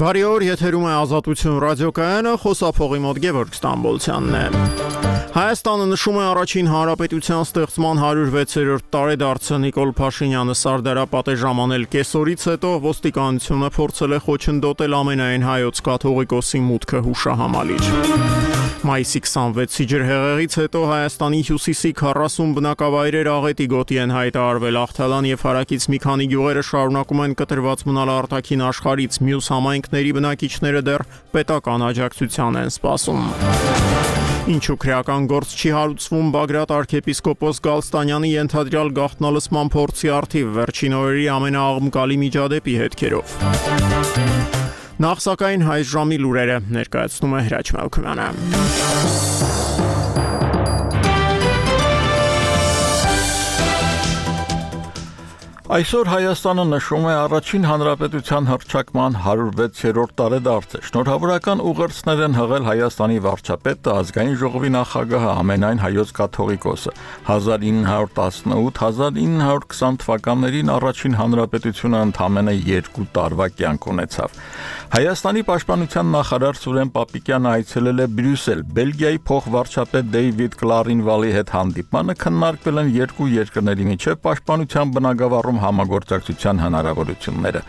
Բարի օր, եթերում է Ազատություն ռադիոկայանը, խոսափողի մոտ Գևորգ Ստամբոլցյանն է։ Հայաստանը նշում է առաջին հանրապետության ստեղծման 106-րդ տարեդարձը։ Նիկոլ Փաշինյանը Սարդարապատ է ժամանել կեսօրից հետո, ոստիկանությունը փորձել է խոչընդոտել ամենայն հայոց կաթողիկոսի մուտքը հուշահամալիր։ Մայիսի 26-ի ջրհեղեղից հետո Հայաստանի հյուսիսի 40 բնակավայրեր աղետի գոտի են հայտարարվել։ Աղթալան եւ հարակից մի քանի գյուղերը շարունակում են կտրված մնալ արտաքին աշխարհից, մյուս համայնքների բնակիչները դեռ պետական աջակցության են սպասում։ Ինչու քրեական գործ չի հարուցվում Բագրատ arczepiskopos Գալստանյանի ենթադրյալ գաղտնալսման փորձի առթիվ վերջին օրերի ամենաաղմկալի միջադեպի հետքերով։ Նախ սակայն հայ ժամի լուրերը ներկայացնում է Հրաչ Մալքոյանը։ Այսօր Հայաստանը նշում է առաջին հանրապետության հռչակման 106-րդ տարեդարձը։ Շնորհավորական ուղերձներ են հղել Հայաստանի վարչապետը, ազգային ժողովի նախագահը, ամենայն հայոց կաթողիկոսը։ 1918-1920 թվականներին առաջին հանրապետությունը ընդամենը 2 տարվա կյանք ունեցավ։ Հայաստանի պաշտպանության նախարար Սուրեն Պապիկյանը այցելել է Բրյուսել։ Բելգիայի փոխվարչապետ Դեյվիդ Կլարինվալի հետ հանդիպմանը քննարկվել են երկու երկրների միջև պաշտպանության բնագավառում համագործակցության հնարավորությունները։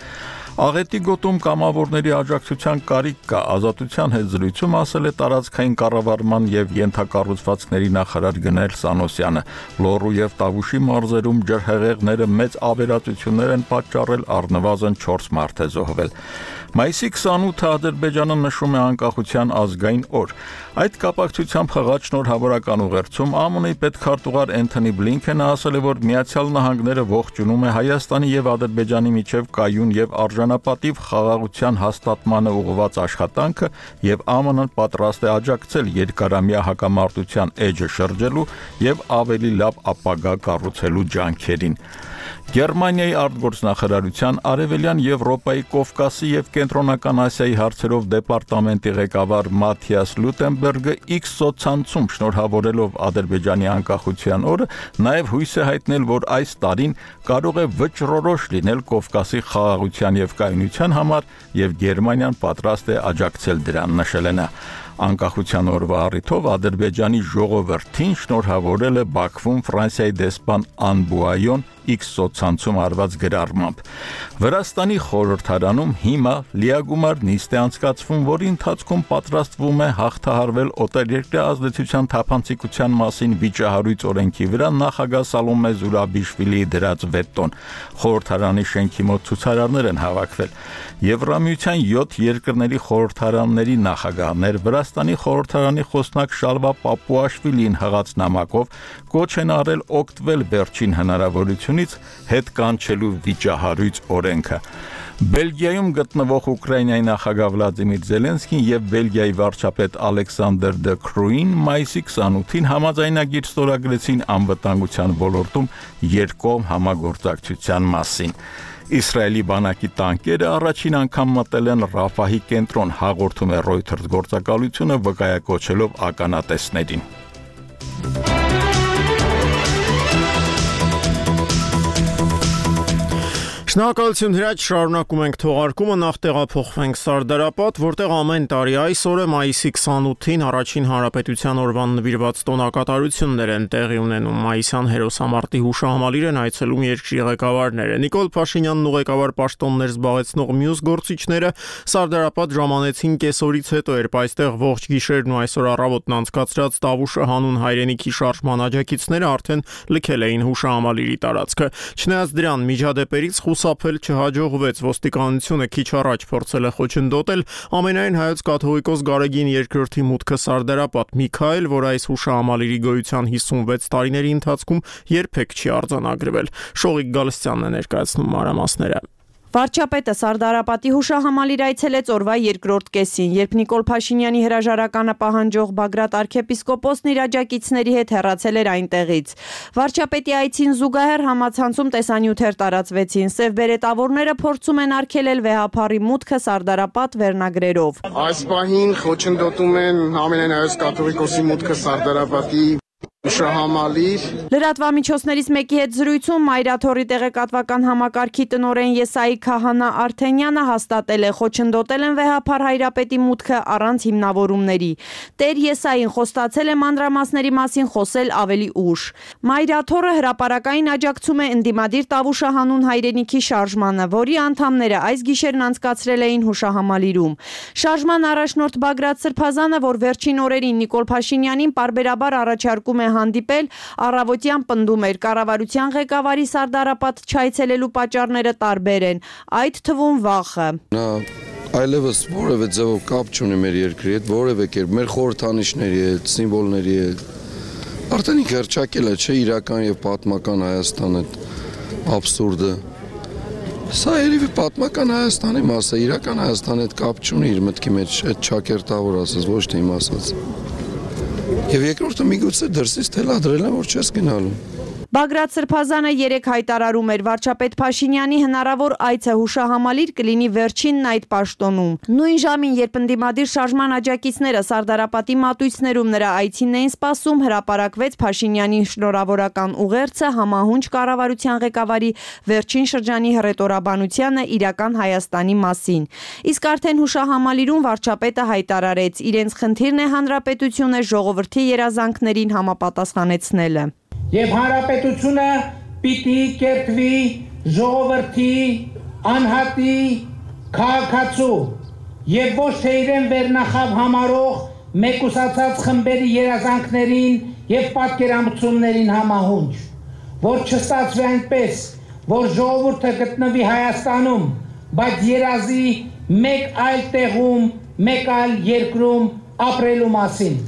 Աղետի գոտում կամավորների աջակցության կարիք կա, Ազատության հետ զրույցում ասել է տարածքային կառավարման եւ ենթակառուցվածքների նախարար Գնել Սանոսյանը։ Լոռու եւ Տավուշի մարզերում ջրհեղեղները մեծ ավերածություններ են պատճառել, առնվազն 4 մարդ է զոհվել։ Մայիսի 28-ը Ադրբեջանը նշում է անկախության ազգային օր։ Այդ կապակցությամբ հղած շնորհավորական ուղերձում ԱՄՆ-ի պետքարտուղար Էնթոնի Բլինքենը ասել է, որ Միացյալ Նահանգները ողջունում է Հայաստանի եւ Ադրբեջանի միջև կայուն եւ արժանապատիվ խաղաղության հաստատմանը ուղղված աշխատանքը եւ ԱՄՆ-ն պատրաստ է աջակցել երկարամյա հակամարտության էջը շրջելու եւ ավելի լավ ապագա կառուցելու ջանքերին։ Գերմանիայի արտգործնախարարության Արևելյան Եվրոպայի, Կովկասի եւ Կենտրոնական Ասիայի հարցերով դեպարտամենտի ղեկավար Մաթիաս Լուտենբերգը X սոցցանցում շնորհավորելով Ադրբեջանի անկախության օրը նաեւ հույս է հայտնել, որ այս տարին կարող է վճռորոշ լինել Կովկասի խաղաղության եւ կայունության համար եւ Գերմանիան պատրաստ է աջակցել դրան, նշել է նա։ Անկախության օրվա առիթով Ադրբեջանի ժողովրդին շնորհավորել է Բաքվում Ֆրանսիայի դեսպան Անբուայոն X սոցցանցում արված գրառմամբ։ Վրաստանի խորհրդարանում հիմա լիագումար նիստ է անցկացվում, որի ընթացքում պատրաստվում է հաղթահարվել օտարերկրյա ազդեցության թափանցիկության մասին վիճահարույց օրենքի վրա նախագահ Սալոմե Զուրաբիշվիլիի դրած վետոն։ Խորհրդարանի շենքի մոտ ցուցարարներ են հավաքվել։ Եվրամիության 7 երկրների խորհրդարանների նախագահներ Վրաստանի խորհրդարանի խոսնակ Շալվա Պապուաշվիլին հղած նամակով կոչ են արել օգտվել վերջին հնարավորությունից հետ կանչելու վիճահարույց օրենքը։ Բելգիայում գտնվող Ուկրաինայի նախագահ Վլադիմիր Զելենսկին եւ Բելգիայի վարչապետ Ալեքսանդր Դը Քրուին մայիսի 28-ին համաձայնագիր ստորագրեցին անվտանգության ոլորտում երկկողմ համագործակցության մասին։ Իսրայելի բանակի տանկերը առաջին անգամ մտել են Ռաֆահի կենտրոն, հաղորդում է Reuters գործակալությունը վկայակոչելով ականատեսներին։ Շնորհակալություն Հրաչ, շարունակում ենք թողարկումը, նախ տեղափոխվենք Սարդարապատ, որտեղ ամեն տարի այս օրը մայիսի 28-ին առաջին հանրապետության օրվան նվիրված տոնակատարություններ են տեղի ունենում։ Մայիսյան հերոսամարտի հուշահամալիր են այցելում երկրի ղեկավարները։ Նիկոլ Փաշինյանն ու ղեկավար պաշտոններ զբաղեցնող մյուս գործիչները Սարդարապատ ժամանեցին կեսօրից հետո, երբ այստեղ ողջ գիշերն ու այսօր առավոտն անցկացրած Տավուշը հանուն հայրենիքի շարժման աջակիցները արդեն լքել էին հուշահամալիրի տարածքը։ Չնայած դրան միջադեպերից խուսափել չհաջողվեց, ոստիկանությունը քիչ առաջ փորձել է խոչընդոտել ամենայն հայոց կաթողիկոս Գարեգին II-ի մուտքը Սարդարապատ։ Մի քայլ, որ այս հուշահամալիրի գոյության 56 տարիների ընթացքում երբեք չի արձանագրվել։ Շողիկ Գալստյանն է ներկայացնում մանրամասները։ Վարչապետը Սարդարապատի հուշահամալիր այցելեց օրվա երկրորդ կեսին, երբ Նիկոլ Փաշինյանի հրաժարականը պահանջող Բագրատ arczepiskopos-ն իր աջակիցների հետ հեռացել էր այնտեղից։ Վարչապետի այցին զուգահեռ համացանցում տեսանյութեր տարածվեցին։ Սև բերետավորները փորձում են արգելել վեհափառի մուտքը Սարդարապատ վերնագրերով։ Այս պահին խոչընդոտում են ամենայն հայոց կաթողիկոսի մուտքը Սարդարապատի Հուշահամալիր Լրատվամիջոցներից մեկի հետ զրույցում Մայրաթորի տեղեկատվական համակարգի տնօրեն Եսայի Քահանա Արթենյանը հաստատել է, խոչընդոտել են վեհափառ Հայրապետի մուտքը առանց հիմնավորումների։ Տեր Եսային խոստացել է մանրամասների մասին խոսել ավելի ուշ։ Մայրաթորը հրապարակային աջակցում է ընդդիմադիր Տավուշը հանուն հայրենիքի շարժմանը, որի անդամները այս գիշերն անցկացրել էին հուշահամալիրում։ Շարժման առաջնորդ Բագրատ Սրբազանը, որ վերջին օրերին Նիկոլ Փաշինյանին պարբերաբար առաջարկում է հանդիպել, առավոտյան պնդում էր, կառավարության ղեկավարի Սարդարապատ չայցելելու պատճառները տարբեր են, այդ թվում վախը։ Նա այլևս որևէ ձևով կապ չունի մեր երկրի հետ, որևէ կերպ մեր խորհրդանիշների հետ, սիմվոլների հետ։ Արդեն ինքը հռչակել է, չէ, իրական եւ պատմական Հայաստան այդ աբսուրդը։ Սա երևի պատմական Հայաստանի մաս է, իրական Հայաստանի հետ կապ չունի իր մտքի մեջ, այդ ճակերտավոր ասած, ոչ թե իմ ասած։ Եվ երկրորդը միգուցե դրսից թելադրել են, որ չես գնալու։ Բագրատ Սրբազանը երեկ հայտարարում էր, վարչապետ Փաշինյանի հնարավոր այցը հուշահամալիր կլինի վերջինն այդ պաշտոնում։ Նույն ժամին, երբ ընդդիմադիր շարժման աջակիցները Սարդարապատի մատույցներում նրա այցին էին սպասում, հրապարակվեց Փաշինյանի շնորհավորական ուղերձը համահունչ կառավարության ղեկավարի վերջին շրջանի հռետորաբանությանը իրական Հայաստանի մասին։ Իսկ արդեն հուշահամալիրում վարչապետը հայտարարեց, իրենց խնդիրն է հանրապետությունը ժողովրդի երազանքներին համապատասխանեցնելը։ Եվ հանրապետությունը պիտի կերտվի ժողովրդի անհատի քաղաքացու եւ ոչ թե իրեն վերնախավ համարող մեկուսացած խմբերի երազանքներին եւ պատկերացումներին համահունչ, որ չստացվի այնպես, որ ժողովուրդը գտնվի Հայաստանում, բայց երազի մեկ այլ տեղում, մեկ այլ երկրում ապրելու մասին։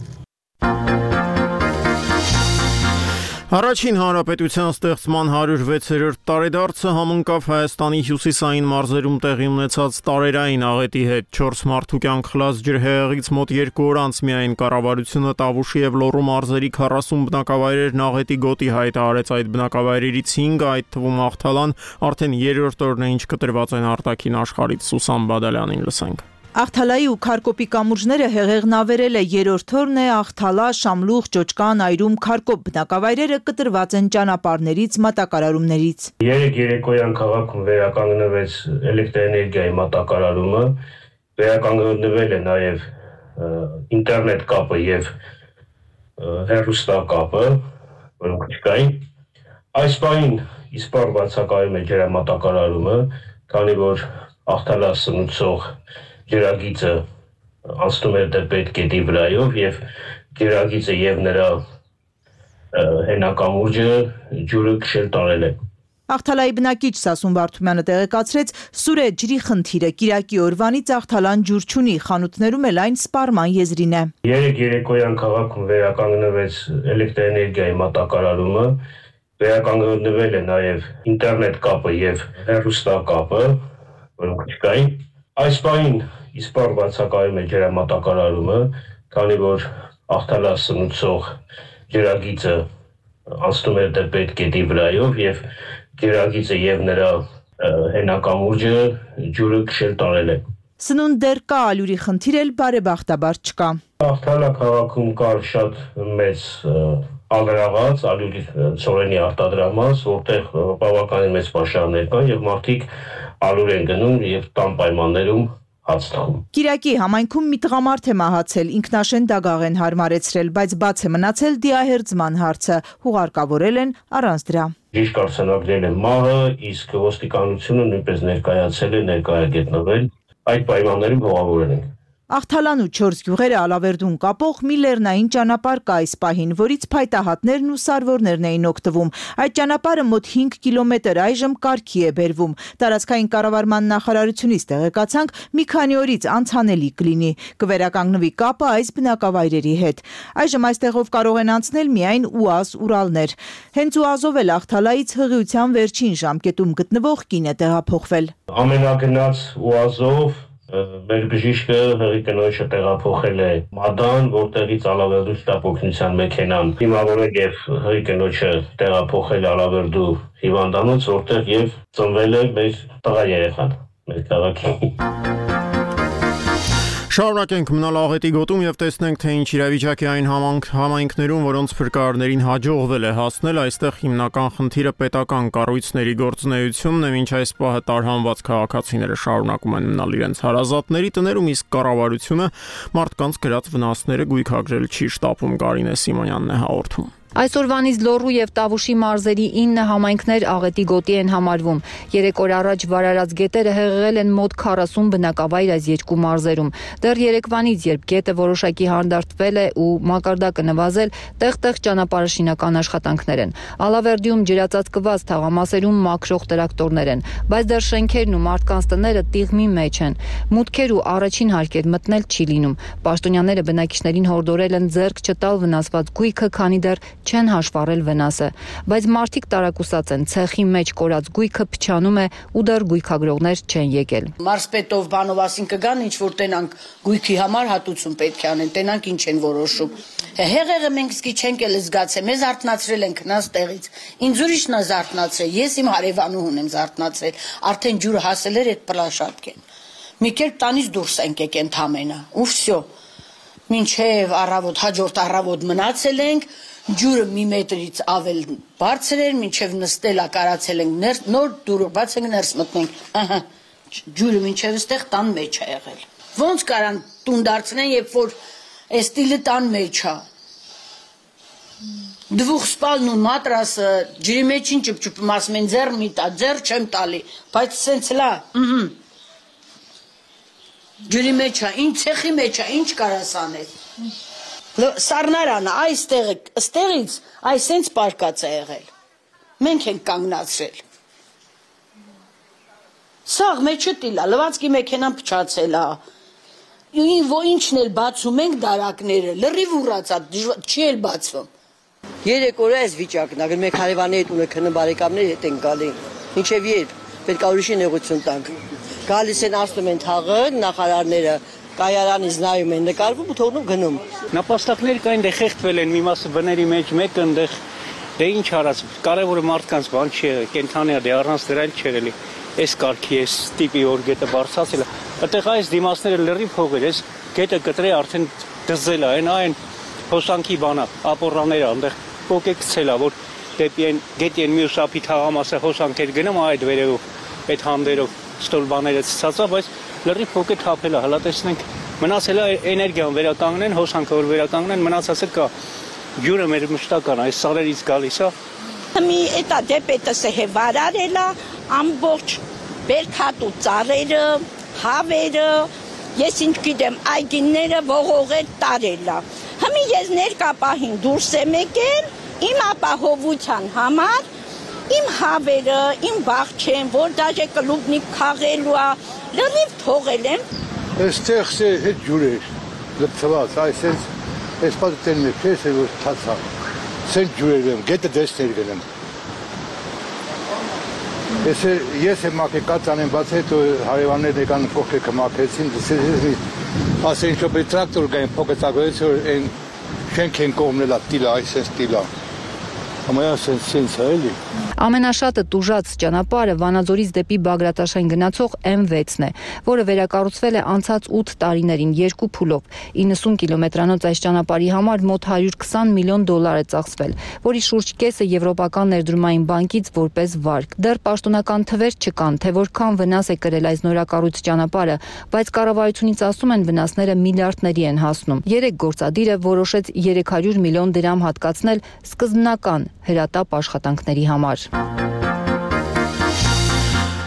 Առաջին հանրապետության ստեղծման 106-րդ տարեդարձը համընկավ Հայաստանի հյուսիսային մարզերում տեղի ունեցած տարերային աղետի հետ։ 4 մարդու կյանք խլած ջրհեղեղից մոտ 2 օր անց միայն կառավարությունը Տավուշի եւ Լոռու մարզերի 40 բնակավայրերն աղետի գոտի հայտարարեց։ Այդ բնակավայրերից 5-ը, այդ թվում Աղթալան, արդեն 3-րդ օրն է ինչ կտրված են արտաքին աշխարհից։ Սուսան Բադալյանին լսենք։ Աղթալայի ու Քարկոպի կամուրջները հեղեղն ավերել է, 3-րդ օրն է Աղթալա, Շամլուխ, Ճոճկան, Այրում, Քարկոպ բնակավայրերը կտրված են ճանապարհներից, մատակարարումներից։ Երեկ երեկոյան քաղաքում վերականգնվեց էլեկտրոէներգիայի մատակարարումը, վերականգնվել է նաև ինտերնետ կապը եւ հեռուստակապը, որոնք չկային։ Այս պահին իսպառ բացակայում է ջրամատակարարումը, քանի որ Աղթալա սնուցող ջրագիծը անցնում է դեպետ գետի վրայով եւ ջրագիծը եւ նրա հենակամուրջը ջուրը քշել տարել է։ Աղթալայի բնակիչ Սասուն Վարդումյանը տեղեկացրեց, սուր է ջրի խնդիրը, կիրակի օրվանից Աղթալան ջուր չունի, խանութներում էլ այն սպառման եզրին է։ Երեկ երեկոյան քաղաքում վերականգնվեց էլեկտրոէներգիայի մատակարարումը, վերականգնվել է նաև ինտերնետ կապը եւ հեռուստակապը, որոնք չկային։ Այս պահին իսպառ բացակայում է ջրամատակարարումը, քանի որ Աղթալա սնուցող ջրագիծը անցնում է դեպետ գետի վրայով եւ ջրագիծը եւ նրա հենակամուրջը ջուրը քշել տարել է։ Սնունդ դեռ կա, ալյուրի խնդիր էլ բարեբախտաբար չկա։ Աղթալա քաղաքում կար շատ մեծ ալրաղաց, ալյուրի ծորենի արտադրամաս, որտեղ բավականին մեծ պաշարներ կան եւ մարդիկ ալյուր են գնում եւ տան պայմաններում հաց տանում։ Կիրակի համայնքում մի տղամարդ է մահացել, ինքնաշեն դագաղ են հարմարեցրել, բայց բաց է մնացել դիահերձման հարցը, հուղարկավորել են առանց դրա։ Ճիշտ արձանագրել է մահը, իսկ ոստիկանությունը նույնպես ներկայացել է ներկայագետնվել, այդ պայմաններում հողավորել են։ Աղթալան ու 4 գյուղերը Ալավերդուն կապող մի լեռնային ճանապարհ կա այս պահին, որից փայտահատներն ու սարվորներն էին օգտվում։ Այդ ճանապարհը մոտ 5 կիլոմետր այժմ կարգի է բերվում։ Տարածքային կառավարման նախարարությունից տեղեկացանք, մի քանի օրից անցանելի կլինի, կվերականգնվի կապը այս բնակավայրերի հետ։ Այժմ այստեղով կարող են անցնել միայն ՈՒԱԶ Ուրալներ։ Հենց ՈՒԱԶ-ով էլ Աղթալայից հղիության վերջին ժամկետում գտնվող կին է տեղափոխվել։ Ամենագնաց ՈՒԱԶ-ով մեր բժիշկը հղի կնոջը տեղափոխել է Մադան, որտեղից Ալավերդու շտապօգնության մեքենան հիմավորել եւ հղի կնոջը տեղափոխել Ալավերդու հիվանդանոց, որտեղ եւ ծնվել է մեր տղա երեխան, մեր քաղաքի։ Շարունակենք մնալ աղետի գոտում եւ տեսնենք, թե ինչ իրավիճակ է այն համայնքներում, որոնց փրկարարներին հաջողվել է հասնել, այստեղ հիմնական խնդիրը պետական կառույցների գործունեությունն է, մինչ այս պահը տարհանված քաղաքացիները շարունակում են մնալ իրենց հարազատների տներում, իսկ կառավարությունը մարդկանց գրած վնասները գույքագրել չի շտապում, Կարինե Սիմոնյանն է հաղորդում։ Այսօրվանից Լոռու եւ Տավուշի մարզերի 9 համայնքներ աղետի գոտի են համարվում։ 3 օր առաջ վարարած գետերը հեղեղել են մոտ 40 բնակավայր այս երկու մարզերում։ Դեռ երեկվանից, երբ գետը որոշակի հանդարտվել է ու մակարդակը նվազել, տեղ-տեղ ճանապարհաշինական աշխատանքներ են։ Ալավերդիում ջրածածկված թաղամասերում մաքրող տրակտորներ են, բայց դեռ շենքերն ու մարդկանց տները տիղմի մեջ են։ Մուտքեր ու առաջին հարկեր մտնել չի լինում։ Պաշտոնյաները բնակիչներին հորդորել են ձեռք չտալ վնասված գույքը, քանի դեռ չեն հաշվառել վնասը, բայց մարդիկ տարակուսած են, ցեխի մեջ կորած գույքը փչանում է ու դեռ գույքագրողներ չեն եկել։ Մարզպետով բանով ասին կգան, ինչ որ տենանք գույքի համար հատուցում պետք է անեն, տենանք ինչ են որոշում։ Հեղեղը մենք սկի չենք էլ զգացել, մեզ արթնացրել են քնած տեղից։ Ինձ ուրիշն է զարթնացրել, ես իմ հարևանուհուն եմ զարթնացրել, արդեն ջուրը հասել էր այդ պլաշատկեն։ Մի կերպ տանից դուրս ենք եկեն թամենը, ու վсё։ Մինչև առավոտ, հաջորդ առավոտ մնացել ենք, ջուրը մի մետրից ավել բարձր էր, մինչև նստելա կարացել ենք նոր դուրը բաց ենք ներս մտնենք, ահա, ջուրը մինչև ստեղ տան մեջ է եղել։ Ոնց կարան տուն դարձնեն, երբ որ այս տիլը տան մեջ է։ Դվուխ սպալն ու մատրասը ջրի մեջ ինչ ճպճպում, ասում են ձեռ մի տա, ձեռ չեմ տալի, բայց սենց լա, ջրի մեջ է, ինչ ցեխի մեջ է, ինչ կարաս անել։ Սառնարանը այստեղից այսենց պարկած է եղել։ Մենք ենք կանգնացրել։ Սաղ մեջը տիլա, լվացքի մեքենան փչացել է։ Ինչն էլ բացում ենք դարակները, լրիվ ուռացա, չի էլ բացվում։ 3 օր այս վիճակն է, մենք հարևանների հետ ունենք քնն բարեկամների հետ ենք գալի։ Ինչև երբ պետք է ուրիշի նեղություն տանք։ Գալիս են ասում են թաղը, նախարարները կայարանից նայում են, նկարվում ու թողնում գնում։ Նապաստակներ կային, դե խեղդվել են, մի մասը բների մեջ, մեկը այնտեղ, դե ինչ արած, կարևորը մարդկանց բան չի, կենթանի է, դե առանց դրա էլ չէր էլի։ Այս կարգի, այս տիպի որ գետը բարձրացել է, այդտեղ այս դիմացները լրիվ փողեր, այս գետը կտրե արդեն դզել է, այն հոսանքի բանա, ապորանները, այնտեղ փոկե գցել է, որ դեպի այն գետի այն մյուս ափի թաղամասը հոսանքեր գնում այդ վերևով, այդ հանդերով ստոլբաները ցածա, բայց լրիվ փոկե թափել է, հլա տեսնենք, մնացել է էներգիան վերականգնեն, հոսանքը որ վերականգնեն, մնացածը կա։ Ջուրը մեր մշտական է, այս սարերից գալիս է։ Մի էտա դեպետս է վարարել է, ամբողջ բերքատու ծառերը, հավերը, ես ինչ գիտեմ, այգիները ողողեր տարել է։ Հիմի ես ներկա պահին դուրս եմ եկել, իմ ապահովության համար, իմ հավերը, իմ բաղչեն, որ դաժե կլուբնիկ քաղելու է, լրիվ թողել եմ։ Այստեղ է հետ ջուր էր, լպցված, այսպես, այս պատտեն մի փես է, որ թացա, սենց ջուր եմ, գետը դեսներ գնեմ։ Ես եմ մակեկած անեմ, բաց հետո հարևաններն եկան փոքրիկը մակեցին, ասեն ինչ որ տրակտոր գային փոքր ծագոյից, որ այն շենք են կողմնելա տիլա, այսպես տիլա։ Ամենասենս է էլի։ Ամենաշատը տուժած ճանապարհը Վանաձորից դեպի Բագրատաշեն գնացող M6-ն է, որը վերակառուցվել է անցած 8 տարիներին 2 փուլով։ 90 կիլոմետրանոց այս ճանապարհի համար մոտ $120 միլիոն է ծախսվել, որի շուրջ կեսը Եվրոպական ներդրումային բանկից որպես վարկ։ Դեռ պաշտոնական թվեր չկան, թե որքան վնաս է կրել այս նորակառույց ճանապարհը, բայց կառավարությունից ասում են վնասները միլիարդների են հասնում։ 3 գործադիրը որոշեց 300 միլիոն դրամ հատկացնել սկզբնական հրատապ աշխատանքների համար։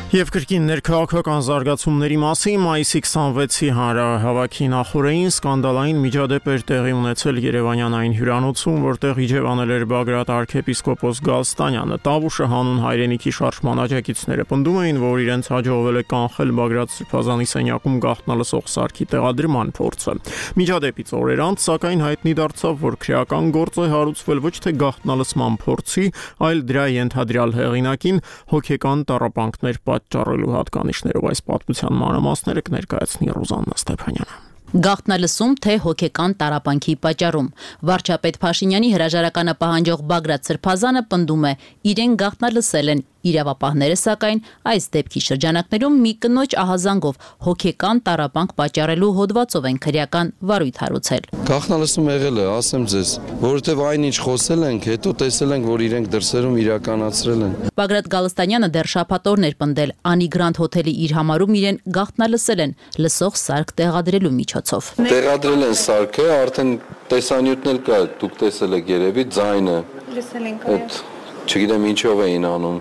Եվ կրկին ներքաղաքական զարգացումների մասին մայիսի 26-ի հանրահավաքի նախօրեին սկանդալային միջադեպ էր տեղի ունեցել Երևանյան այն հյուրանոցում, որտեղ իջևանել էր Բագրատ arczepiskopos Գալստանյանը։ Տավուշը հանուն հայրենիքի շարժման աջակիցները պնդում էին, որ իրենց հաջողվել է կանխել Բագրատ Սրբազանի սենյակում գաղտնալսող սարքի տեղադրման փորձը։ Միջադեպից օրեր անց, սակայն հայտնի դարձավ, որ քրեական գործ է հարուցվել ոչ թե գաղտնալսման փորձի, այլ դրա ենթադրյալ հեղինակին հոգեկան տառապանքներ պատճառելու հատկանիշներով այս պատմության մանրամասները կներկայացնի Ռուզաննա Ստեփանյանը։ Գաղտնալսում թե հոգեկան տառապանքի պատճառում վարչապետ Փաշինյանի հրաժարականը պահանջող Բագրատ Սրբազանը պնդում է իրեն գաղտնալսել են իրավապահները սակայն այս դեպքի շրջանակներում մի կնոջ ահազանգով հոգեկան տառապանք պատճառելու հոդվածով են քրեական վարույթ հարուցել։ Գաղտնալսում եղել է, ասեմ ձեզ, որովհետև այնինչ խոսել ենք, հետո տեսել ենք, որ իրենք դրսերում իրականացրել են։ Բագրատ Գալստանյանը դեռ շաբաթօրն էր պնդել Անի Գրանդ հոթելի իր համարում իրեն գաղտնալսել են լսող սարք տեղադրելու միջոցով։ Տեղադրել են սարքը, արդեն տեսանյութն էլ կա, դուք տեսել եք երևի ձայնը։ Լսել ենք այդ չգիտեմ ինչով էին անում։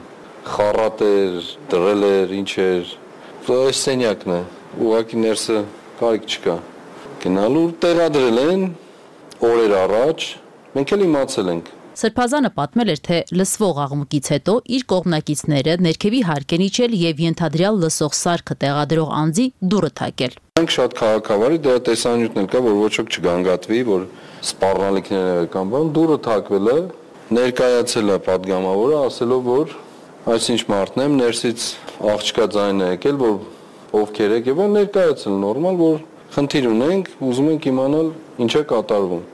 Խառատ էր, դրել էր, ինչ էր։ Այս սենյակն է, ուղղակի ներսը կարիք չկա։ Գնալու տեղադրել են օրեր առաջ, մենք էլ իմացել ենք։ Սրբազանը պատմել էր, թե լսվող աղմուկից հետո իր կողմնակիցները ներքևի հարկ են իջել եւ ենթադրյալ լսող սարքը տեղադրող անձի դուռը թակել։ Մենք շատ քաղաքավարի դրա տեսանյութն էլ կա, որ ոչ ոք չգանգատվի, որ սպառնալիքներ կան, բան դուռը թակվել է, ներկայացել է պատգամավորը, ասելով, որ այսինչ մարդն եմ, ներսից աղջկա ձայն է եկել, որ ովքեր եք եւ ներկայացել նորմալ, որ խնդիր ունենք, ուզում ենք իմանալ ինչ է կատարվում։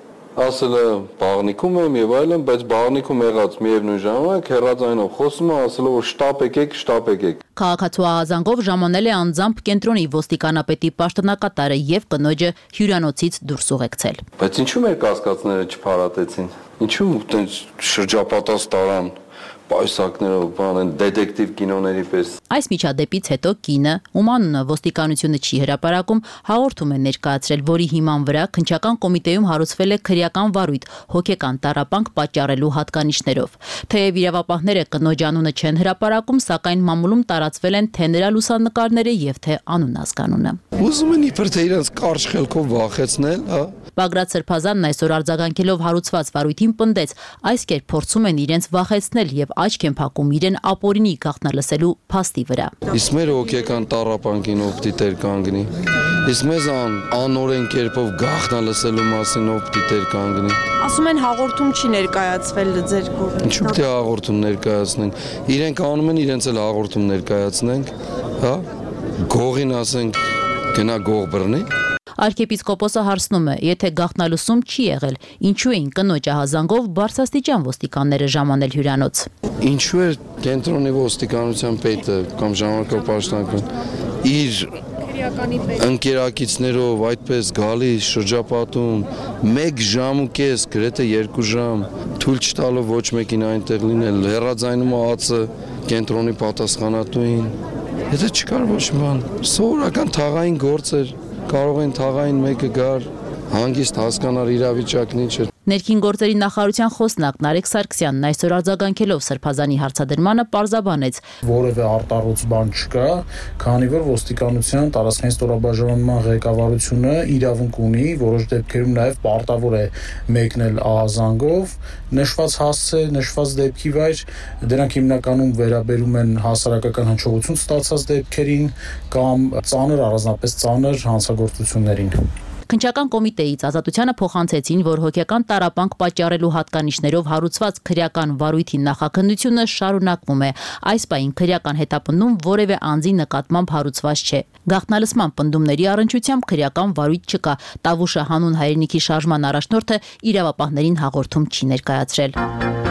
Ասել է բաղնիկում եմ եւ այլն, բայց բաղնիկում եղած միևնույն ժամանակ հեռաձայնով խոսում է, ասելով որ շտապ եկեք։ Քաղաքացու ահազանգով ժամանել է անձամբ կենտրոնի ոստիկանապետի պաշտոնակատարը եւ կնոջը հյուրանոցից դուրս ուղեկցել։ Բայց ինչու մեր կասկածները չփարատեցին։ Ինչու այդպես շրջապատած տարան պայսակներով, բան դետեկտիվ կինոների պես։ Այս միջադեպից հետո կինը, ում անունը ոստիկանությունը չի հրապարակում, հաղորդում է ներկայացրել, որի հիման վրա քննչական կոմիտեում հարուցվել է քրեական վարույթ հոգեկան տառապանք պատճառելու հատկանիշներով։ Թեև իրավապահները կնոջ անունը չեն հրապարակում, սակայն մամուլում տարածվել են թե նրա լուսանկարները եւ թե անուն-ազգանունը։ Ուզում են իբր թե իրենց կարճ խելքով վախեցնել, հա։ Բագրատ Սրբազանն այսօր արձագանքելով հարուցված վարույթին պնդեց, այս կերպ փորձում են իրենց վախեցնել եւ աչք են փակում իրեն ապօրինի գաղտնալսելու փաստի վրա։ Իսկ մեր հոգեկան տառապանքին ով պիտի տեր կանգնի։ Իսկ մեզ անօրեն կերպով գաղտնալսելու մասին ով պիտի տեր կանգնի։ Ասում են հաղորդում չի ներկայացվել ձեր կողմից։ Ինչու՞ պիտի հաղորդում ներկայացնենք։ Իրենք անում են, իրենց էլ հաղորդում ներկայացնենք, հա։ Գողին ասենք գնա գող բռնի։ Արքեպիսկոպոսը հարցնում է, եթե գաղտնալսում չի եղել, ինչու էին կնոջ ահազանգով բարձրաստիճան ոստիկանները ժամանել հյուրանոց։ Ինչու է կենտրոնի ոստիկանության պետը կամ ժամանակավոր պաշտոնական իր ընկերակիցներով այդպես գալիս շրջապատում 1 ժամ ու կես, գրեթե 2 ժամ, թույլ չտալով ոչ մեկին այնտեղ լինել, հեռաձայնում ածը կենտրոնի պատասխանատուին։ Եթե չկար ոչ մի բան, սովորական թաղային գործ էր։ Կարող են թաղային մեկը գար, հանգիստ հասկանար իրավիճակն ինչ է։ Ներքին գործերի նախարարության խոսնակ Նարեկ Սարգսյանն այսօր արձագանքելով Սրբազանի հարցադրմանը պարզաբանեց. Որևէ արտառոց բան չկա, քանի որ ոստիկանության տարածքային ստորաբաժանման ղեկավարությունը իրավունք ունի, որոշ դեպքերում նաև պարտավոր է մեկնել ահազանգով, նշված հասցե, նշված դեպքի վայր, դրանք հիմնականում վերաբերում են հասարակական հնչողություն ստացած դեպքերին կամ ծանր, առանձնապես ծանր հանցագործություններին։ Քննչական կոմիտեից Ազատությանը փոխանցեցին, որ հոգեկան տառապանք պատճառելու հատկանիշներով հարուցված քրեական վարույթի նախաքննությունը շարունակվում է։ Այս պահին քրեական հետապնդում որևէ անձի նկատմամբ հարուցված չէ։ Գաղտնալսման պնդումների առնչությամբ քրեական վարույթ չկա։ Տավուշը հանուն հայրենիքի շարժման առաջնորդը իրավապահներին հաղորդում չի ներկայացրել։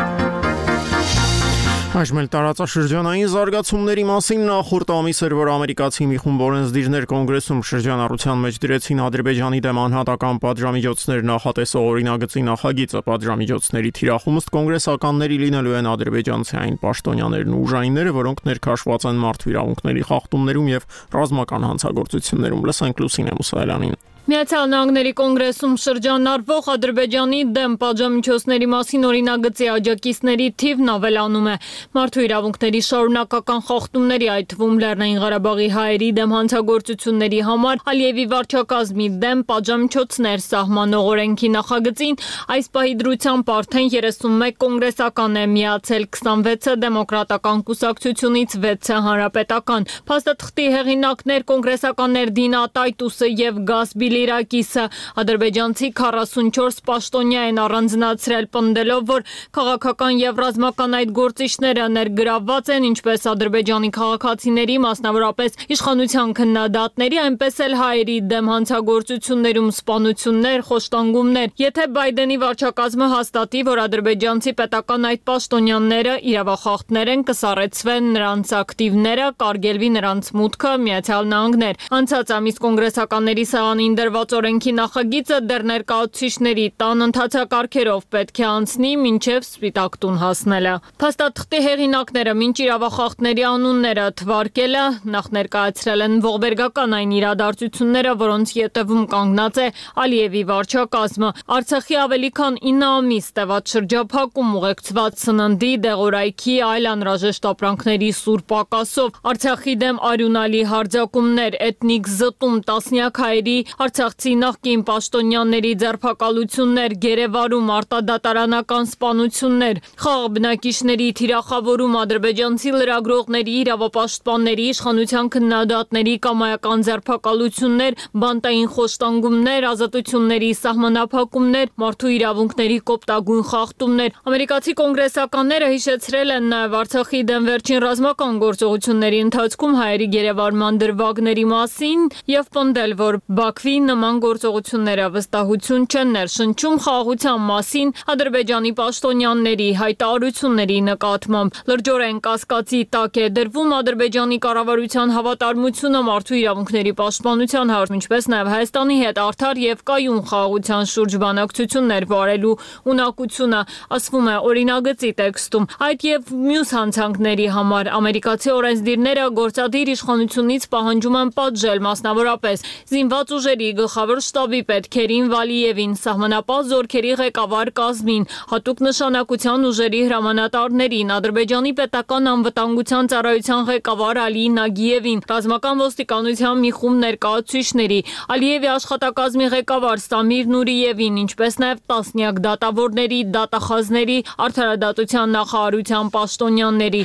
Այժմ տարածաշրջանային զարգացումների մասին նախորդ ամիս էր, որ ամերիկացի մի խումբ օրենսդիրներ կոնգրեսում շրջանառության մեջ դրեցին Ադրբեջանի դեմ անհատական պատժամիջոցներ նախատեսող օրինագծի նախագիծը։ Պատժամիջոցների թիրախում ըստ կոնգրեսականների լինելու են ադրբեջանցի այն պաշտոնյաներն ու ուժայինները, որոնք ներքաշված են մարդու իրավունքների խախտումներում եւ ռազմական հանցագործություններում։ Լսենք Լուսինե Մուսայելյանին։ Միացյալ Նահանգների կոնգրեսում շրջանառվող Ադրբեջանի դեմ պատժամիջոցների մասին օրինագծի աջակիցների թիվն ավելանում է։ Մարդու իրավունքների շարունակական խախտումների, այդ թվում Լեռնային Ղարաբաղի հայերի դեմ հանցագործությունների համար Ալիևի վարչակազմի դեմ պատժամիջոցներ սահմանող օրենքի նախագծին այս պահի դրությամբ արդեն 31 կոնգրեսական է միացել, 26-ը դեմոկրատական կուսակցությունից, 6-ը հանրապետական։ Փաստաթղթի հեղինակներ կոնգրեսականներ Դինա Տայտուսը եւ Գասբի Ֆիլիրակիսը։ Ադրբեջանցի 44 պաշտոնյա են առանձնացրել, պնդելով, որ քաղաքական եւ ռազմական այդ գործիչները ներգրավված են ինչպես Ադրբեջանի քաղաքացիների, մասնավորապես իշխանության քննադատների, այնպես էլ հայերի դեմ հանցագործություններում սպանություններ, խոշտանգումներ։ Եթե Բայդենի վարչակազմը հաստատի, որ ադրբեջանցի պետական այդ պաշտոնյաները իրավախախտներ են, կսառեցվեն նրանց ակտիվները, կարգելվի նրանց մուտքը Միացյալ Նահանգներ։ Անցած ամիս կոնգրեսականների սեղանին դրված օրենքի նախագիծը դեռ ներկայացուցիչների տան ընթացակարգերով պետք է անցնի մինչև Սպիտակ տուն հասնելը։ Փաստաթղթի հեղինակները մինչ իրավախախտների անունները թվարկելը նախ ներկայացրել են ողբերգական այն իրադարձությունները, որոնց ետևում կանգնած է Ալիևի վարչակազմը։ Արցախի ավելի քան 9 ամիս տևած շրջափակում ուղեկցված սննդի, դեղորայքի, այլ անհրաժեշտ ապրանքների սուր պակասով, Արցախի դեմ արյունալի հարձակումներ, էթնիկ զտում, տասնյակ հայերի, արցախցի նախկին պաշտոնյաների ձերբակալություններ, գերեվարում, արտադատարանական սպանություններ, խաղ բնակիչների թիրախավորում, ադրբեջանցի լրագրողների, իրավապաշտպանների, իշխանության քննադատների կամայական ձերբակալություններ, բանտային խոշտանգումներ, ազատությունների սահմանափակումներ, մարդու իրավունքների կոպտագույն խախտումներ։ Ամերիկացի կոնգրեսականները հիշեցրել են նաև Արցախի դեմ վերջին ռազմական գործողությունների ընթացքում հայերի գերեվարման դրվագների մասին եւ պնդել, որ Բաքվի նման գործողությունները վստահություն չեն ներշնչում խաղաղության մասին Ադրբեջանի պաշտոնյաների հայտարարությունների նկատմամբ։ Լրջորեն կասկածի տակ է դրվում Ադրբեջանի կառավարության հավատարմությունը մարդու իրավունքների պաշտպանության հարցում, ինչպես նաև Հայաստանի հետ արդար եւ կայուն խաղաղության շուրջ բանակցություններ վարելու ունակությունը, ասվում է օրինագծի տեքստում։ Այդ եւ մյուս հանցանքների համար ամերիկացի օրենսդիրները գործադիր իշխանությունից պահանջում են պատժել, մասնավորապես զինված ուժերի գլխավոր շտաբի պետ Քերին Վալիևին, սահմանապահ զորքերի ղեկավար կազմին, հատուկ նշանակության ուժերի հրամանատարներին, Ադրբեջանի պետական անվտանգության ծառայության ղեկավար Ալի Նագիևին, ռազմական ոստիկանության մի խումբ ներկայացուցիչների, Ալիևի աշխատակազմի ղեկավար Սամիր Նուրիևին, ինչպես նաև տասնյակ դատավորների, դատախազների, արդարադատության նախարարության պաշտոնյաների։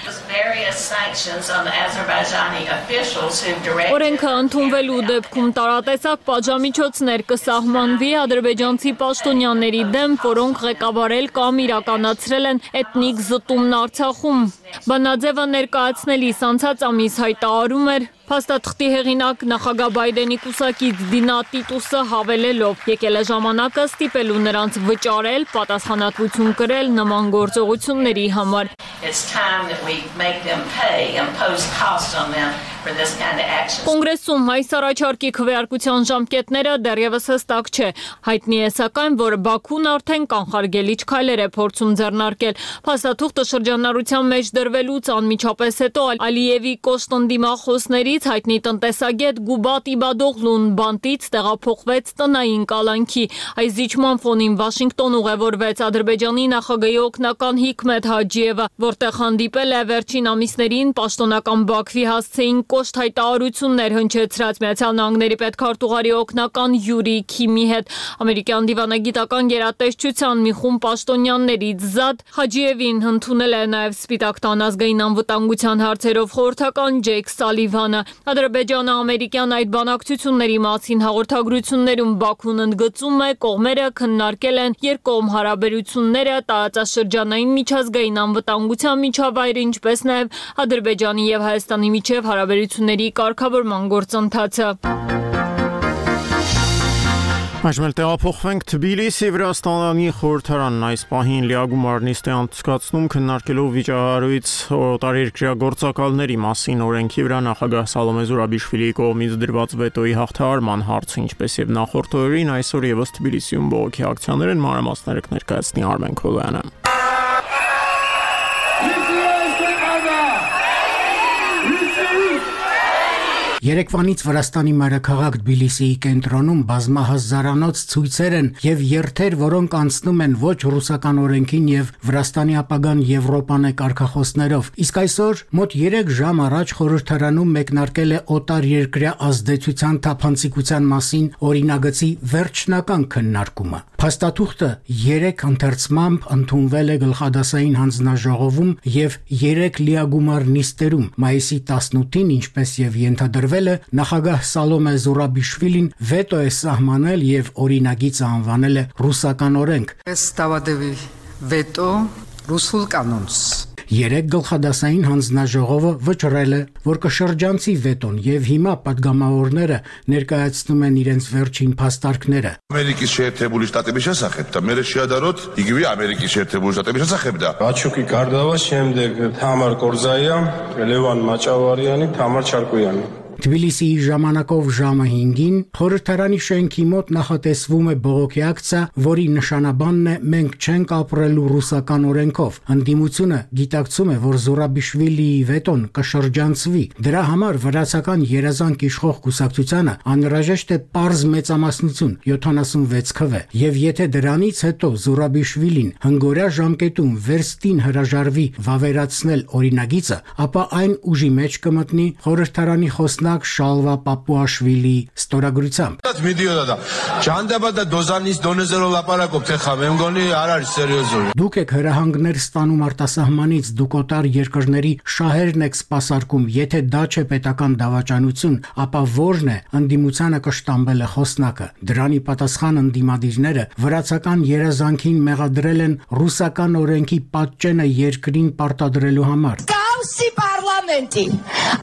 Օրենքը ընդունվելու դեպքում տարատեսակ պատժամիջոցներ կսահմանվի ադրբեջանցի պաշտոնյաների դեմ, որոնք ղեկավարել կամ իրականացրել են էթնիկ զտումն Արցախում։ Բանաձևը ներկայացնելիս անցած ամիս հայտարարում էր փաստաթղթի հեղինակ նախագահ Բայդենի կուսակից Դինա Տիտուսը հավելելով. եկել է ժամանակը ստիպելու նրանց վճարել, պատասխանատվություն կրել նման գործողությունների համար։ Կոնգրեսում այս առաջարկի քվեարկության ժամկետները դեռևս հստակ չէ։ Հայտնի է սակայն, որ Բաքուն արդեն կանխարգելիչ քայլեր է փորձում ձեռնարկել։ Փաստաթուղթը շրջանառության մեջ դրվելուց անմիջապես հետո Ալիևի կոշտ ընդդիմախոսներից հայտնի տնտեսագետ Գուբատ Իբադօղլուն բանտից տեղափոխվեց տնային կալանքի։ Այս զիջման ֆոնին Վաշինգտոն ուղևորվեց Ադրբեջանի նախագահի օգնական Հիկմետ Հաջիևը, որտեղ հանդիպել է վերջին ամիսներին պաշտոնական Բաքվի հասցեին կոշտ հայտարարություններ հնչեցրած Միացյալ Նահանգների պետքարտուղարի օգնական Յուրի Քիմի հետ։ Ամերիկյան դիվանագիտական գերատեսչության մի խումբ պաշտոնյաներից զատ Հաջիևին ընդունել է նաև Սպիտակ տան ազգային անվտանգության հարցերով խորհրդական Ջեյք Սալիվանը։ Ադրբեջանը ամերիկյան այդ բանակցությունների մասին հաղորդագրություններում Բաքուն ընդգծում է, կողմերը քննարկել են երկկողմ հարաբերությունները, տարածաշրջանային միջազգային անվտանգության միջավայրը, ինչպես նաև Ադրբեջանի եւ Հայաստանի միջև հարաբերությունների կարգավորման գործընթացը։ Այժմ տեղափոխվենք Թբիլիսի, Վրաստանի խորհրդարանն այս պահին լիագումար նիստ է անցկացնում քննարկելով վիճահարույց օտարերկրյա գործակալների մասին օրենքի վրա նախագահ Սալոմե Զուրաբիշվիլիի կողմից դրված վետոյի հաղթահարման հարցը, ինչպես եւ նախորդ օրերին այսօր եւս Թբիլիսիում բողոքի ակցիաներ են, մանրամասները կներկայացնի Արմեն Քոլոյանը։ Երեկվանից Վրաստանի մայրաքաղաք Թբիլիսիի կենտրոնում բազմահազարանոց ցույցեր են եւ երթեր, որոնք անցնում են ոչ ռուսական օրենքին եւ Վրաստանի ապագան Եվրոպան է կարգախոսներով։ Իսկ այսօր մոտ 3 ժամ առաջ խորհրդարանում մեկնարկել է օտար երկրյա ազդեցության թափանցիկության մասին օրինագծի վերջնական քննարկումը։ Փաստաթուղթը 3 ընթերցմամբ ընդունվել է գլխադասային հանձնաժողովում եւ 3 լիագումար նիստերում մայիսի 18-ին, ինչպես եւ ենթադրվել կատարվելը նախագահ Սալոմե Զուրաբիշվիլին վետո է սահմանել եւ օրինագիծ անվանել է ռուսական օրենք։ Ставадеви վետո ռուսულ կանոնս։ Երեք գլխադասային հանձնաժողովը վճռել է, որ կշրջանցի վետոն եւ հիմա падգամավորները ներկայացնում են իրենց վերջին փաստարկները։ Ամերիկայի Շերտებული Շտատების შესახებ դա մեր շիադարոտ իգվի Ամերիկայի Շերտებული Շտատების հասախებ դա։ Աչուկի Կարդավա շեմդեգ Թամար Կորզայա, Լևան Մաճավարյանի, Թամար Չարկոյանի։ Թբիլիսիի ժամանակով ժամը 5-ին խորհրդարանի շենքի մոտ նախատեսվում է բողոքի ակցիա, որի նշանաբանն է «Մենք չենք ապրելու ռուսական օրենքով»։ Ընդդիմությունը գիտակցում է, որ Զուրաբիշվիլիի վետոն կշրջանցվի։ Դրա համար վրացական երազանք իշխող կուսակցությանը անհրաժեշտ է պարզ մեծամասնություն 76 քվ։ Եվ եթե դրանից հետո Զուրաբիշվիլին հնգորյա ժամկետում վերստին հրաժարվի վավերացնել օրինագիծը, ապա այն ուժի մեջ կմտնի խորհրդարանի խոսնակ Շալվա Պապուաշվիլի ստորագրությամբ։ Դուք եք հրահանգներ ստանում արտասահմանից, դուք օտար երկրների շահերն եք սպասարկում, եթե դա չէ պետական դավաճանություն, ապա ո՞րն է, ընդդիմությանը կշտամբել է խոսնակը։ Դրանի պատասխան ընդդիմադիրները վրացական երազանքին մեղադրել են ռուսական օրենքի պատճենը երկրին պարտադրելու համար։ Կաուսի պարլամենտի,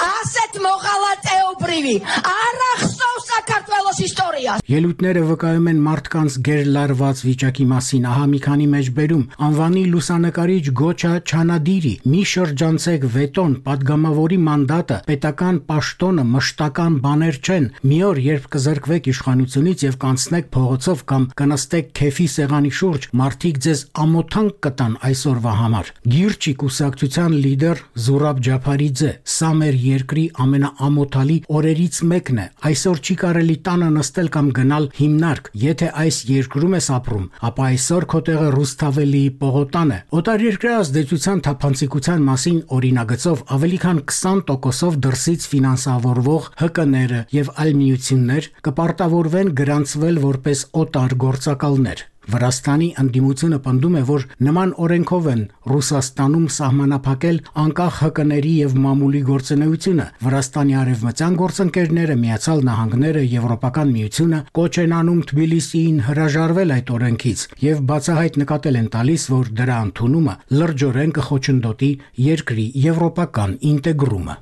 ասետ մողալատ էոբրիվի, առախստով Սակարտվելոս իստորիա։ Ելույթները վկայում են մարդկանց գերլարված վիճակի մասին, ահա մի քանի մեջբերում, անվանի լուսանկարիչ Գոչա Չանադիրի, մի շրջանցեք վետոն, падգամավորի մանդատը, պետական պաշտոնը, մշտական բաներ չեն, մի օր երբ կզրկվեք իշխանությունից եւ կանցնեք փողոցով կամ կնստեք քեֆի սեղանի շուրջ, մարդիկ ձեզ ամոթանք կտան այսօրվա համար։ Գիրչի կուսակցության լիդեր Զուրաբ Ջափարիձե, սա մեր երկրի ամենաամոթալի օրերից մեկն է, այսօր չի կարելի տանը նստել կամ գնալ հիմնարկ, եթե այս երկրում ես ապրում, ապա այսօր քո տեղը Ռուսթավելիի պողոտան է։ Օտարերկրյա ազդեցության թափանցիկության մասին օրինագծով ավելի քան 20%-ով դրսից ֆինանսավորվող ՀԿ-ները եւ այլ միություններ կպարտավորվեն գրանցվել որպես օտար գործակալներ։ Վրաստանի ընդդիմությունը պնդում է, որ նման օրենքով են Ռուսաստանում սահմանափակել անկախ ՀԿ-ների եւ մամուլի գործունեությունը։ Վրաստանի արևմտյան գործընկերները, Միացյալ Նահանգները, Եվրոպական միությունը կոչ են անում Թբիլիսիին հրաժարվել այդ օրենքից եւ բացահայտ նկատել են տալիս, որ դրա ընդունումը լրջորեն կխոչընդոտի երկրի եվրոպական ինտեգրումը։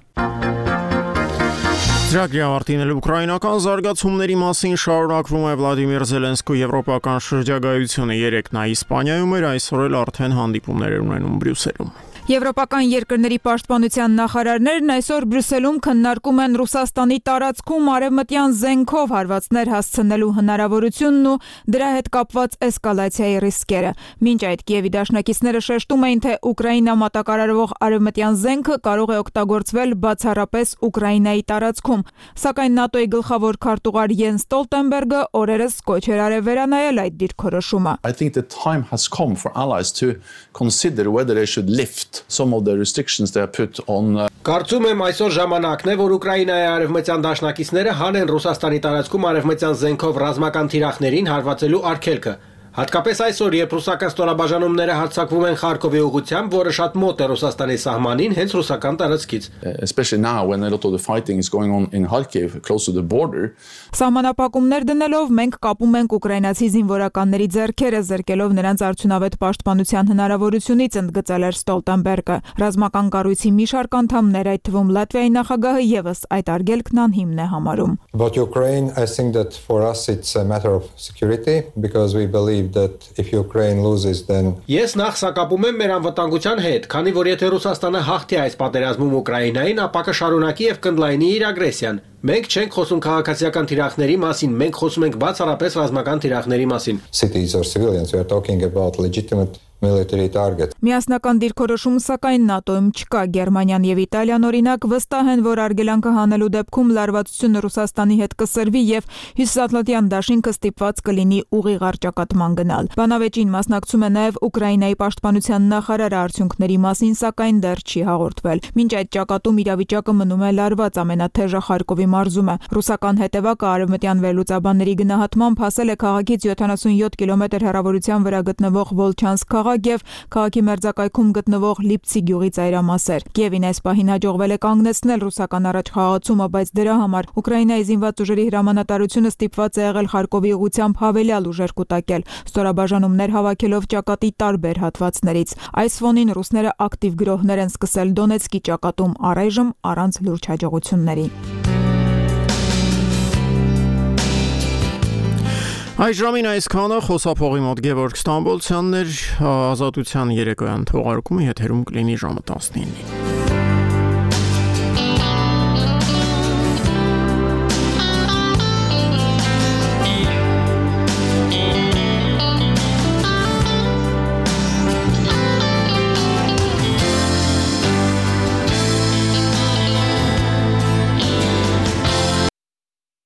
Ծրագրի ավարտին ուկրաինական զարգացումների մասին շարունակվում է Վլադիմիր Զելենսկու եվրոպական շրջագայությունը 3 նա Իսպանիայում էր, այսօր էլ արդեն հանդիպումներ են ունենում Բրյուսելում։ Եվրոպական երկրների պաշտպանության նախարարներն այսօր Բրյուսելում քննարկում են Ռուսաստանի տարածքում արևմտյան զենքով հարվածներ հասցնելու հնարավորությունն ու դրա հետ կապված էսկալացիայի ռիսկերը։ Մինչ այդ Կիևի դաշնակիցները շեշտում էին, թե Ուկրաինա մատակարարվող արևմտյան զենքը կարող է օգտագործվել բացառապես Ուկրաինայի տարածքում, սակայն ՆԱՏՕ-ի գլխավոր քարտուղար Յենս Ստոլտենբերգը օրերս կոչ էր արել վերանայել այդ դիրքորոշումը։ I think the time has come for allies to consider whether they should lift some of the restrictions they have put on Կարծում եմ այսօր ժամանակն է, որ Ուկրաինայի արևմտյան դաշնակիցները հանեն Ռուսաստանի տարածքում արևմտյան զենքով ռազմական թիրախներին հարվածելու արգելքը։ Հատկապես այսօր, երբ ռուսական ստորաբաժանումները հարձակվում են Խարկովի ուղղությամբ, որը շատ մոտ է Ռուսաստանի սահմանին, հենց ռուսական տարածքից։ Especially now when a lot of the fighting is going on in Kharkiv close to the border. Սահմանափակումներ դնելով մենք կապում ենք ուկրաինացի զինվորականների ձեռքերը, զրկելով նրանց արդյունավետ պաշտպանության հնարավորությունից, ընդգծել էր Ստոլտենբերգը։ Ռազմական կառույցի մի շարք անդամներ, այդ թվում Լատվիայի նախագահը եւս այդ արգելքն անհիմն է համարում։ About Ukraine, I think that for us it's a matter of security because we believe that if Ukraine loses then Ես նախ սակապում եմ մեր անվտանգության հետ, քանի որ եթե Ռուսաստանը հաղթի այս պատերազմում Ուկրաինային, ապա կշարունակի եւ կընդլայնի իր ագրեսիան։ Մենք չենք խոսում քաղաքացիական թիրախների մասին, մենք խոսում ենք բացառապես ռազմական թիրախների մասին։ Cities or civilians, we are talking about legitimate military target. Միասնական դիրքորոշում սակայն ՆԱՏՕ-ում չկա։ Գերմանիան եւ Իտալիան օրինակ վստահ են, որ արգելանքը հանելու դեպքում լարվածությունը Ռուսաստանի հետ կսրվի եւ Հյուսիսատլանտյան դաշինքը ստիպված կլինի ուղիղ առճակատման գնալ։ Բանավեճին մասնակցում է նաեւ Ուկրաինայի պաշտպանության նախարարը, արդյունքների մասին սակայն դեռ չի հաղորդվել։ Մինչ այդ ճակատում իրավիճակը մնում է լարված, ամենաթեժը Խարկովի մարզում է։ Ռուսական հետևակը արևմտյան վերլուծաբանների գնահատմամբ հասել է քաղաքից 77 կիլոմետր հեռավորության վրա գտնվող Վոլչանսկ Փոխագ եւ քաղաքի մերձակայքում գտնվող Լիպցի գյուղի ծայրամասեր։ Կիևին այս պահին հաջողվել է կանգնեցնել ռուսական առաջխաղացումը, բայց դրա համար Ուկրաինայի զինված ուժերի հրամանատարությունը ստիպված է եղել Խարկովի ուղղությամբ հավելյալ ուժեր կուտակել, ստորաբաժանումներ հավաքելով ճակատի տարբեր հատվածներից։ Այս ֆոնին ռուսները ակտիվ գրոհներ են սկսել Դոնեցկի ճակատում, առայժմ առանց լուրջ հաջողությունների։ Այս ժամին այսքանը խոսափողի մոտ Գևորգ Ստամբոլցյանն էր, Ազատության երեկոյան թողարկումը եթերում կլինի ժամը 19-ին։